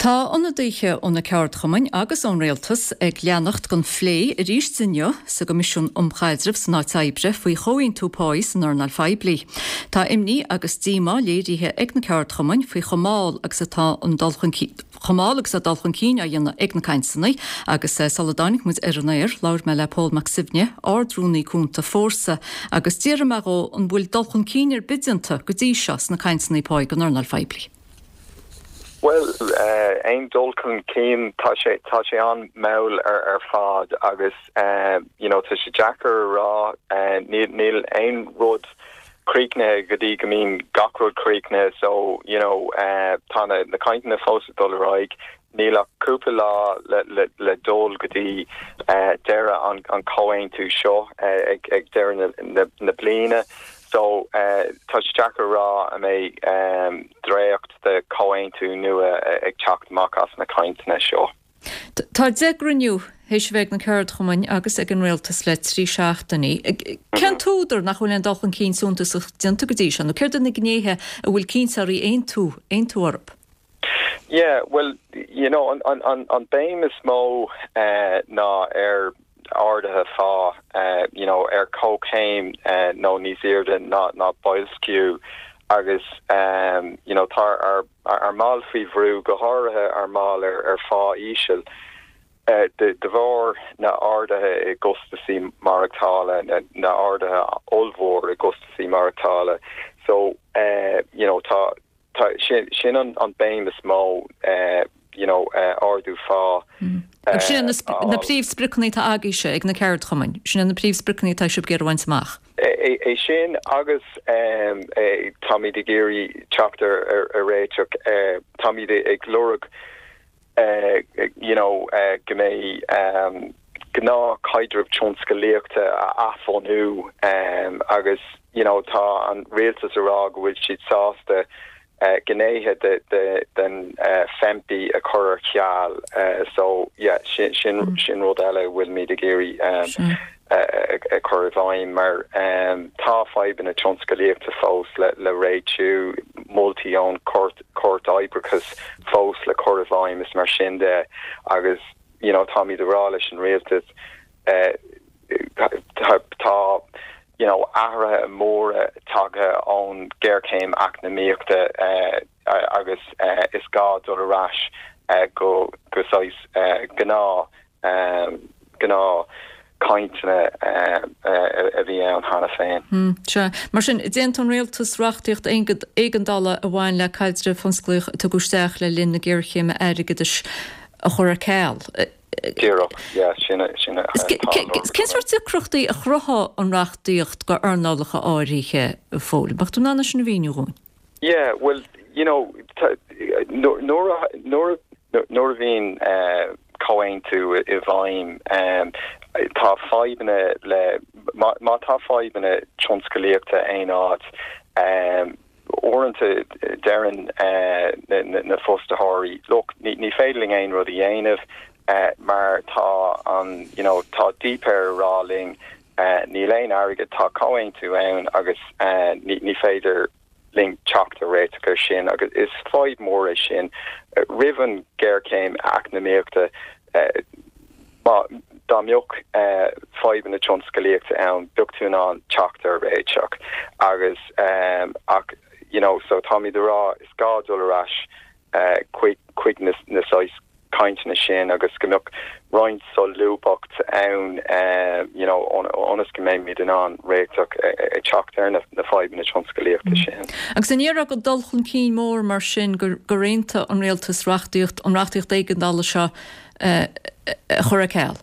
Tá ionadaithe ó na ceardchumainn agus ón Rialtas ag leanacht den phlé arís inniu sa gCoimisiún um Chaidreamh san Áit Oibre faoi chomhaontú páí san earnáil phoiblí. Tá imní agus díomá léirithe ag na ceardchumainn faoi chomh mall agus atá an dul chun chomh mall agus atá dul chun cinn á dhéanamh ag na cainteanna agus sula dtáinig muid ar an aer labhair mé le Pól Mac Suibhne, Ard-Rúnaí Cúnta Fórsa agus d'fhiafraigh mé dhó an bhfuil dul chun cinn ar bith déanta go dtí seo sna cainteanna páí don earnáil phoiblí. Bhuel, aon dul chun cinn, tá sé, tá sé an-mhall ar ar fad agus you know tá sé deacair a rá, níl, níl aon rud críochnaithe go dtí go mbíonn gach rud críochnaithe so you know tá na, na cainteanna fós ag dul ar aghaidh, níl ach cúpla lá le, le, le dul go dtí deireadh an, an comhaontú seo ag, ag deireadh na, na, na bliana. So, tá sé deacair a rá an mbeidh dréacht de chomhaontú nua ag teacht amach as na cainteanna seo. Tá 10 gcruinniú théis a bheith ag na ceardchumainn agus ag an rialtas le 3 seachtainí. Cén t-údar nach bhfuil aon dul chun cinn suntasach déanta go dtí seo, nó céard iad na gnéithe a bhfuil cainteoirí aontú aontú orthu? Yeah, well, you know, an, an, an, an béim is mó ná ar arduithe phá, you know, ar comhchéim nó níos airde ná, ná boilsciú agus, you know, tá ár, ár mbaill faoi bhrú, go háirithe ár mbaill ar, ar phá íseal, de bharr na arduithe i gcostasaí maireachtála, na, na arduithe ollmhór i gcostasaí maireachtála. So, you know, tá, Tá, sin, sin an, an béim is mó, you know, ardú phá. Agus sin na, na príomhspriocanna atá agaibhse ag na ceardchumainn, sin na príomhspriocanna atá sibh ag iarraidh a bhaint amach. É, é sin agus táimid ag iarraidh teacht ar, ar, ar réiteach, táimid ag lorg, you know, go mbeidh gnáthchaidreamh tionscalaíochta a athbhunú agus, you know, tá an rialtas a rá go bhfuil siad sásta gnéithe de, de, den FEMPI a chur ar ceal. So, yeah, sin, sin, sin rud eile a bhfuilimid ag iarraidh a chur i bhfeidhm mar tá fadhbanna tionscalaíochta fós le, le réitiú, moltaí ón Chúirt, Cúirt Oibreachais fós le cur i bhfeidhm is mar sin de agus you know táimid ag rá leis an rialtas tá you know athruithe móra tagtha ón géarchéim eacnamaíochta agus is gá dul ar ais go go saghas gnáth gnáth cainteanna a bhí ann cheana féin. Sea. Mar sin, d'aontaigh an rialtas reachtaíocht éigeandála a bhain le caidreamh thionsclaíoch a tugadh isteach le linn na géarchéime airgeadais a chur ar ceal. Díreach, yeah, sin a, sin a. Cén sórt deacrachtaí a chruthódh an reachtaíocht go earnálacha áirithe, a Phóil? Mbeadh tú in ann é sin a mhíniú dhúinn? Yeah, well, you know, nuair a, nuair a, nuair a bhíonn comhaontú i bhfeidhm, tá fadhbanna le, má, má tá fadhbanna tionscalaíochta aon áit, uaireanta deireann na, na, na fostaitheoirí, look, ní, ní féidir linn aon rud a dhéanamh mar tá an, you know, tá DPER ag rá linn Níl aon airgead, tá comhaontú ann agus ní féidir linn teacht ar réiteach air sin agus is fadhb mhór é sin. Roimh an ghéarchéim eacnamaíochta, dá mbeadh fadhbanna tionscalaíochta ann, bheadh tú in ann teacht ar réiteach agus ach you know so táimid ag rá is gá dul ar ais chuig chuig na saghas cainteanna sin agus go mbeadh roinnt solúbthacht ann you know ionas go mbeimid in ann réiteach ag teacht ar na fadhbanna tionscalaíochta sin. Agus an ndéarfá gur dul chun cinn mór mar sin gur aontaigh an rialtas reachtaíocht, an reachtaíocht éigeandála seo a chur ar ceal?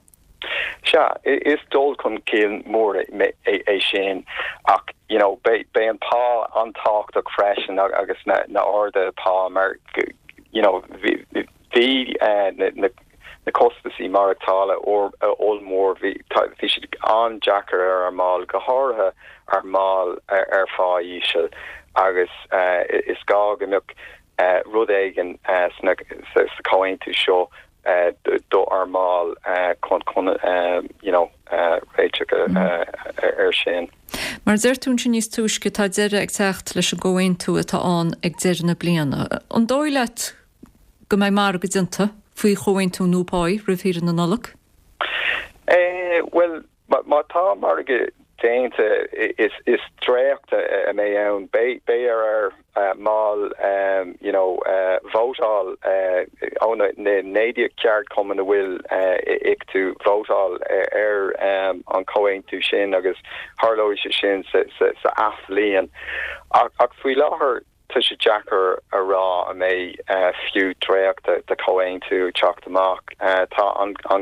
Sea, is dul chun cinn mór é sin ach you know beidh an pá an-tábhachtach freisin agus na arduithe pá mar you know bhí na costasaí maireachtála ollmhór, bhí siad an-deacair ar ár mbaill, go háirithe ár mbaill ar phá íseal agus is gá go mbeadh rud éigin sa chomhaontú seo do ár mbaill chun chun you know réiteach air sin. Mar a deir tú ansin níos túisce, tá deireadh ag teacht leis an gcomhaontú atá ann ag deireadh na bliana. An dóigh leat? go mbeidh margadh déanta faoi chomhaontú nua páí roimh shaoire na Nollag? Bhuel, má tá margadh déanta, is dréacht a mbeidh ann. Beidh ar ár mbaill you know vótáil ó na 19 ceardchumann a bhfuil i Ictu vótáil ar an chomhaontú sin agus tharlóidh sé sin sa athbhliain. Ach faoi láthair Tá sé deacair a rá an mbeidh fiú dréacht de chomhaontú ag teacht amach. Tá an dhá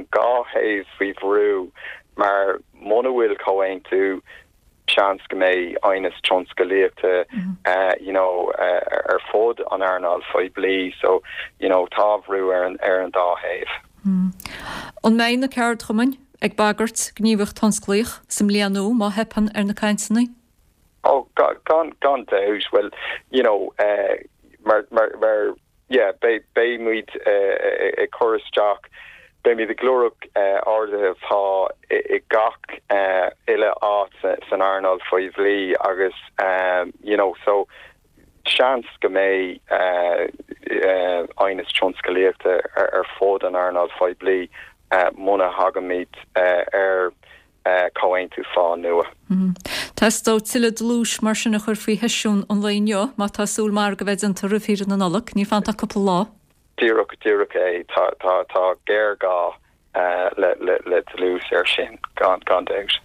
thaobh faoi bhrú mar muna bhfuil comhaontú, seans go mbeidh aighneas tionscalaíochta you know ar fud an earnáil phoiblí so you know tá brú ar an ar an dá thaobh. An mbeidh na ceardchumainn ag bagairt gníomhaíocht thionsclaíoch sa mbliain nua má theipeann ar na cainteanna? Oh, gan, gan dabht. Bhuel, you know, mar, mar, mar, yeah, beidh, beidh muid ag cur isteach, beidh muid ag lorg arduithe pá i gach uile áit san earnáil phoiblí agus, you know, so seans go mbeidh aighneas tionscalaíochta ar fud an earnáil phoiblí muna thagaimid ar comhaontú phá nua. Teastóidh tuilleadh dlúis mar sin a chur faoi sheisiún an lae inniu má tá súil margadh a bheith déanta roimh shaoire na Nollag. Níl fanta ach cúpla lá. Díreach, díreach é. Tá, tá, tá géarghá le, le, le dlús air sin, gan, gan dabht.